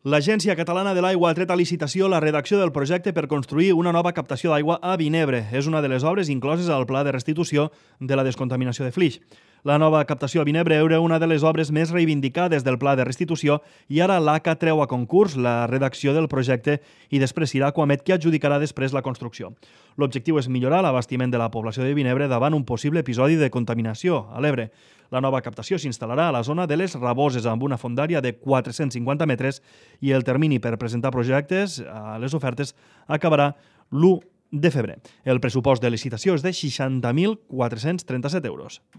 L'Agència Catalana de l'Aigua ha tret a licitació la redacció del projecte per construir una nova captació d'aigua a Vinebre. És una de les obres incloses al Pla de Restitució de la Descontaminació de Flix. La nova captació a Vinebre era una de les obres més reivindicades del Pla de Restitució i ara l'ACA treu a concurs la redacció del projecte i després serà Aquamet qui adjudicarà després la construcció. L'objectiu és millorar l'abastiment de la població de Vinebre davant un possible episodi de contaminació a l'Ebre. La nova captació s'instal·larà a la zona de les Raboses amb una fondària de 450 metres i el termini per presentar projectes a les ofertes acabarà l'1 de febrer. El pressupost de licitació és de 60.437 euros.